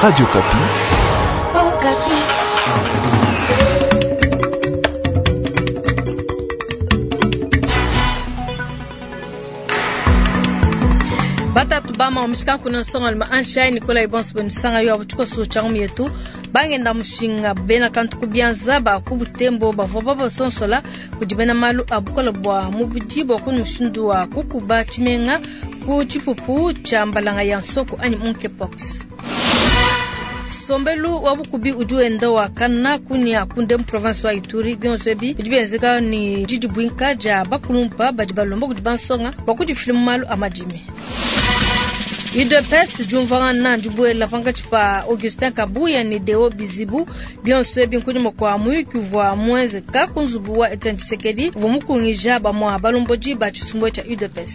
Radio Okapi. Okapi. Batatu bama omushika kuna nsonga luma anshai Nikolai bonso benisanga yo abutuko so yetu bangenda mushinga bena kantu kubianza ba kubutembo bavua babasonsola kudi bena malu abukola bua mubidi bua kunu mushindu wa kukuba tshimenga ku tshipupu tshia mbalanga ya nsoko anyi monkeypox. Nsombelu wa bukubi udi wenda wakana kunia kunde mu province wa Ituri bionso ebi bidi bienzeka ni didibuinka dia bakulumpa badi balomba kudi bansonga bua kudifila mu malu a madimi. UDPS diumvuangana dibuela pankatshi pa Augustin Kabuya ne Deo Bizibu bionso ebi nkunyima kua muyuki uvua muenzeka ku nzubu wa Etienne Tshisekedi uvua mukungija bamua balombodi ba tshisumbu tshia UDPS.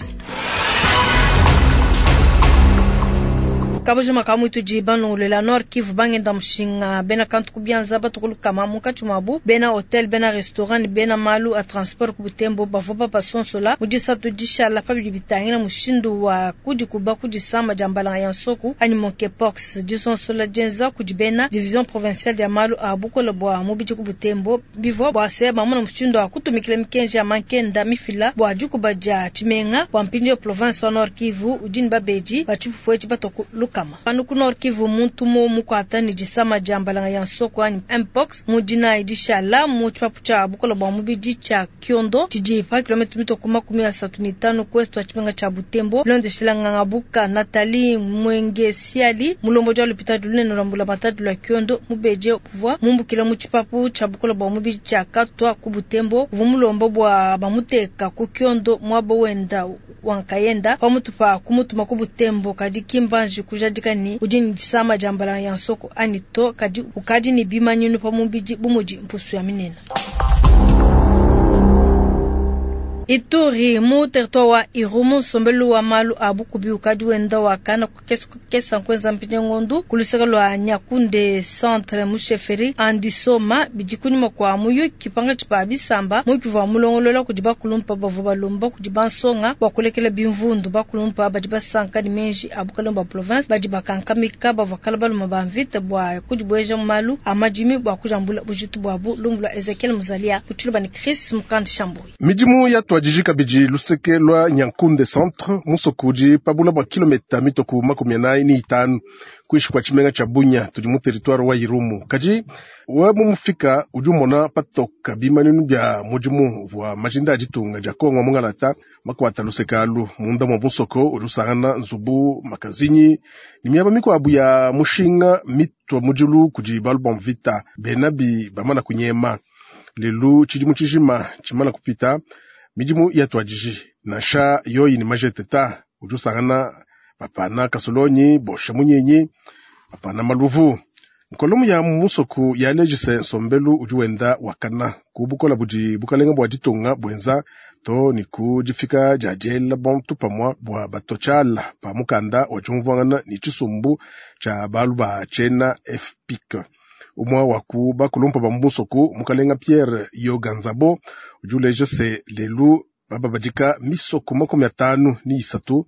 Kabujima ka muitudi banongolela Nord Kivu bangenda mushinga bena kantu kubianza batukulu kama munkatshi muabu bena hotel bena restaurant ne bena malu a transport ku Butembo bavua babasonsola mu disatu dishala pa bidi bitangila mushindu wa kudikuba ku disama dia mbalanga ya nsoku anyi monkeypox. Disonsola dienza kudi bena division provinciale dia malu a bukole bua mubidi ku Butembo bivua bua se bamona mushindu wa kutumikila mikenji ya mankenda mifila bua dikuba dia tshimenga bua mpindieu province wa Nord Kivu udi ne babedi ba tshipupu etshi batoku lukama. Panu ku Nord Kivu muntu mo mukwata ne disama dia mbalanga ya nsoko anyi mpox mu dinayi dishala mu tshipapu tshia bukole bua mubidi tshia Kiondo tshidi pa kilomètre mitoko 35 ku est wa tshimenga tshia Butembo. Bilondeshela nganga buka Nathalie Mwenge Siali mulombodi wa l'hôpital lunene lwa mbulamatadi lwa Kiondo mubedi uvua mumbukila mu tshipapu tshia bukole bua mubidi tshia Katwa ku Butembo uvua mulomba bua bamuteka ku Kiondo muaba wenda wankayenda pamutu pa kumutuma ku Butembo kadi kimbanji kujadika ni udi ni disama dia mbalanga ya nsoko anyi to kadi ukadi ni bimanyinu pa mubidi bumudi mpusu ya minene. Ituri mu territoire wa Irumu nsombelu wa malu a bukubi ukadi wenda wakana kukesa kukesa nkuenza mpinye ngondu kuluseka lwa Nyakunde centre mu chefferie Andisoma bidi kunyima kua muyuki pankatshi pa bisamba muyuki uvua mulongolola kudi bakulumpa bavua balomba kudi bansonga bua kulekela bimvundu. Bakulumpa badi basanka ne menji a bukalenge bua province badi bakankamika bavua kala baluma ba mvita bua kudibueja mu malu a madimi bua kujambula bujitu buabu. Lumbu lua Ezekiel Muzalia kutshiluba ne Chris Mukandi Shambui. Midimu ya twajiji kabidi luseke lwa Nyankunde centre musoko udi pabula bua kilometa mitoku 45 kuishi kwa tshimenga tshia Bunia tudi mu territoire wa Irumu. Kadi we mumufika udi umona patoka bimaninu bia mudimu vua majinda a ditunga dia Kongo mungalata makwata luseke alu munda mwa musoko udi usangana nzubu makazinyi ni miaba mikuabu ya mushinga mitwa mudilu kudi balu ba mvita benabi bamana kunyema. Lelu tshidimu tshijima tshimana kupita midimu ya twajiji nansha yoyi ni majeteta udi usangana bapana kasolonyi bosha munyenyi bapana maluvu. Nkolomu ya musoku ya lejise nsombelu udi wenda wakana ku bukola budi bukalenga bua ditunga bwenza to ni ku difika dia diela bantu pamua bua batotshala pa mukanda wa diumvuangana ni tshisumbu tshia balu ba tshiena FPIC. Umwa wa ku bakulumpa ba musoku mukalenga Pierre Yoganzabo udi uleja se lelu bababadika misoko 53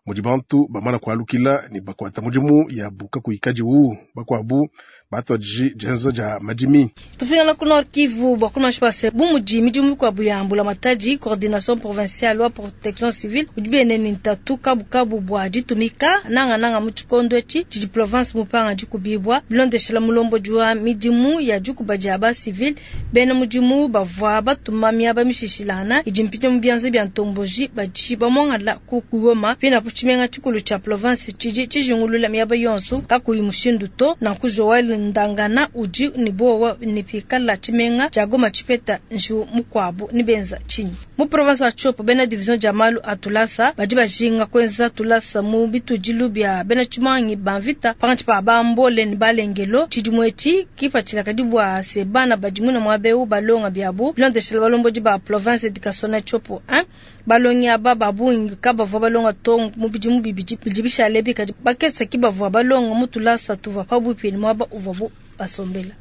mudi bantu bamana kualukila ni bakuata mudimu ya buka kuikadiwu bakuabu batwadiji dienza dia madimi. Tufingana ku Nord Kivu bua kunashi pase bu mudi midimu mikuabu ya mbulamatadi coordination provinciale wa protection civile udi biene ni ntatu kabukabu bua ditumika nangananga mu tshikondo etshi tshidi province mupanga dikubibua bilondeshela mulombodi wa midimu ya dikuba dia ba civile bena mudimu bavua batuma miaba mishishilana idi mpite mu bianza bia ntomboji badi bamongala ku Goma pina ku tshimenga tshikulu tshia province tshidi tshijingulula miaba yonso kakuyi mushindu to. Nanku Joel Ndangana udi ni bowa ni pikala tshimenga tshia Goma tshipeta njiwu mukuabu ni benza tshinyi mu province ya Tshopo bena division dia malu a tulasa badi bajinga kuenza tulasa mu bitudilu bia bena tshimangi ba mvita pankatshi pa bambole ne balengelo tshidimu etshi kipatshila kadi bua se bana badi muna muaba eu balonga biabu bilondeshela balombodi ba province educationnelle Tshopo 1 balongi aba ba bungi kabavua balonga to mu bidimu bibidi bidi bishale bikadi bakesa ki bavua balonga mu tulasa tuvua pabuipi ne muaba uvuabu basombela.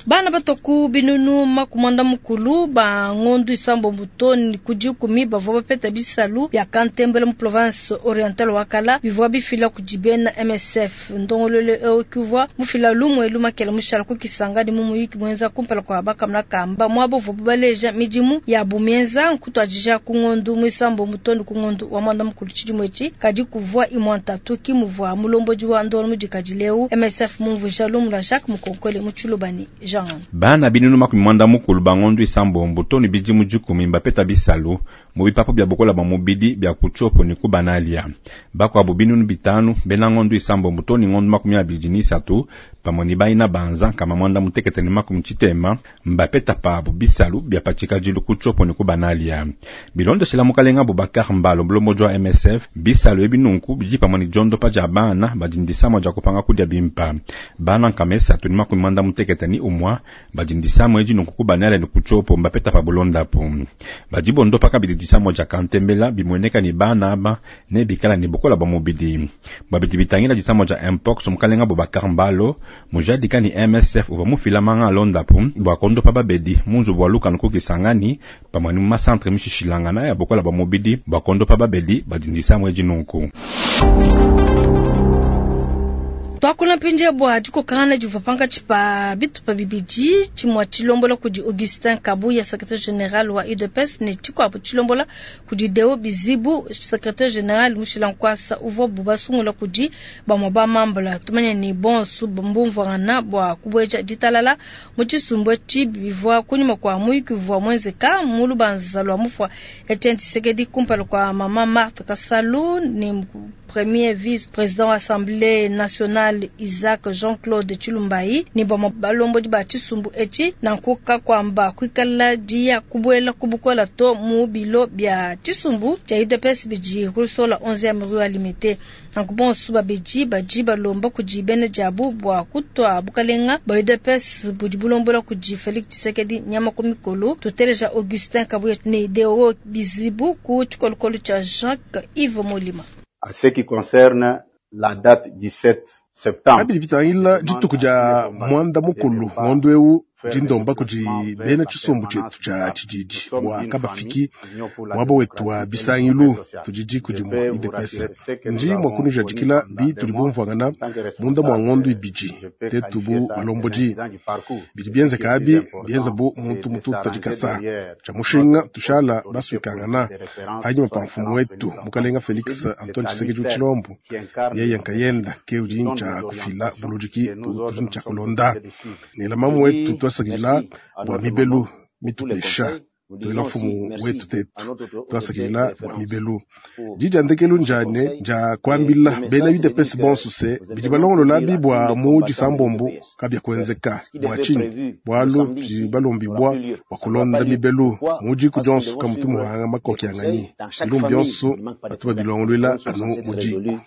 Bana batua ku binunu makumwanda mukulu ba ngondu isambombo to ne ku dikumi bavua bapeta bisalu bia kantembela mu province orientale wa kala bivua bifila kudi bena MSF. Ndongoluelu eu ki uvua mufila lumu elu makela mushala ku Kisangani mu muyiki muenza kumpala kua bakamuna kamba muaba uvuabu baleja midimu yabu mienza nkutuadija ku ngondu muisambombo to ne ku ngondu wa muanda mukulu tshidimu etshi. Kadi kuvua imua ntatu ki muvua mulombodi wa ndongoluelu mudikadile eu MSF mumvuija lumu lua Jacques Mukonkole mu Tshiluba ne Jean. Bana binunu 40 ba ngondu isambombo to ne bidimu dikumi mbapeta bisalu mu bipapu bia bukola bua mubidi bia ku Tshopo ne ku Banalia. Bakuabu 5000 bena ngondu isambombo to ne ngondu 23 pamue ne baina banza 660 mbapeta pabu bisalu bia pa tshikadilu ku Tshopo ne ku Banalia. Bilondeshela mukalenga Boubacar Mbalo mulombodi wa MSF, bisalu ebi nunku bidi pamue ne diondopa dia bana badi ne disamua dia kupanga kudia bimpa. Bana 361 badi ne disamua edi nunku ku Banalia ne ku Tshopo mbapeta pabu londapu. Badi bondopa kabidi disamua dia kantembela bimueneka ne bana aba ne bikala ne bukola bua mubidi. Bua bidi bitangila disamua dia Mpox, mukalenga Boubacar Mbalo mujadika ne MSF uvua mufila manga a londapu bua kondopa babedi mu nzubu wa lukanu ku Kisangani pamue ne mu masantre mishishilangana ya bukola bua mubidi bua kondopa babedi badi ne disamua edi nunku. Tuakula mpindieu bua dikokangana divua pankatshi pa bitupa bibidi, tshimue tshilombola kudi Augustin Kabuya, secretaire general wa UDPS, ne tshikuabu tshilombola kudi Deo Bizibu, secretaire general mushila nkuasa uvuabu basungula kudi bamue ba mambula. Tumanye ne bonso mbumvuangana bua kubueja ditalala mu tshisumbu etshi bivua kunyima kua muyuki uvua muenzeka mu lubanza lua mufua Etienne Tshisekedi kumpala kua mama Marthe Kasalu ne premier vice president wa Assemblée nationale Isaac Jean-Claude Tshilumbayi ne bamue balombodi ba tshisumbu etshi. Nanku kakuamba kuikala diya kubuela ku bukola to mu bilo bia tshisumbu tshia UDPS bidi ku Lusola 11e rue Limete. Nanku bonso babidi badi balomba kudi bena diabu bua kutua bukalenga bua UDPS budi bulombola kudi Felix Tshisekedi nyama ku mikolo. Tuteleja Augustin Kabuya ne Deo Bizibu ku tshikolokolo tshia Jacques Yves Molima. À ce qui concerne la date du 7 septembre. Kabidi bitangila dituku dia muanda mukulu ngondo eu ndi ndomba kudi bena tshisumbu tshietu tshia tshididi bua kabafiki muaba wetu wa bisangilu tudi diku dimue UDPS. Ndi mua kunujadikila bi tudi bumvuangana munda mua ngondo ibidi tetu bu balombodi. Bidi bienzeka abi bienza bu muntu mututa dikasa tshia mushinga tushala basuikangana panyima pa mfumu wetu mukalenga Felix Antoine Tshisekedi Tshilombo yeye nkayenda ke udi ntshia kufila buludiki tudi ntshia kulonda ne mamu wetu twasakidila bua mibelu mitupesha tuela mfumu wetu tetu twasakidila bua mibelu didi ndekelu njane nja kuambila bena UDPS bonso se bidi balongolola bua mu disambombo kabia kuenzeka bua tshinyi bualu tudi balombibua bua kulonda mibelu mu diku dionso kamutu muhanga makoki anganyi bilumbu bionso batu babilongoluela anu mu diku.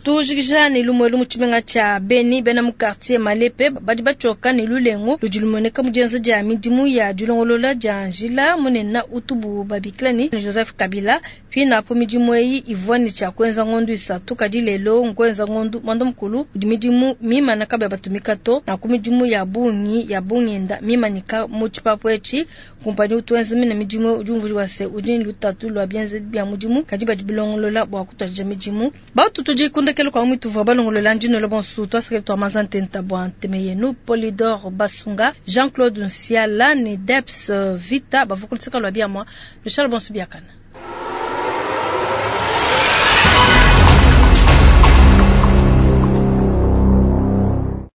Tujikija ne lumue mu tshimenga tshia Beni bena mu quartier Malepe badi batshioka ne lulengu ludi lumueneka mu dienza dia midimu ya dilongolola dia njila munene utubu babikila ne Joseph Kabila. Pinapo midimu eyi ivua ne tshia kuenza ngondu isatu kadi lelo nkuenza ngondu mwanda mukulu udi midimu mimana kabia batumika to na ku midimu ya bungi ya bungenda mimanyika mu tshipapu etshi. Kumpanyi utuenza mina midimu udi umvuija se udi ne lutatu lua bienza bia mudimu kadi badi bilongolola bua kutuadija midimu. Batu tudi kundekelo kwa mwitu vwa balongolola ndino bonsu twaseke twa mazantenta bwa nteme yenu Polydor Basunga Jean-Claude Nsiala ne Deps Vita bavukulisaka lwa biamwa Lushal bonsu biakana.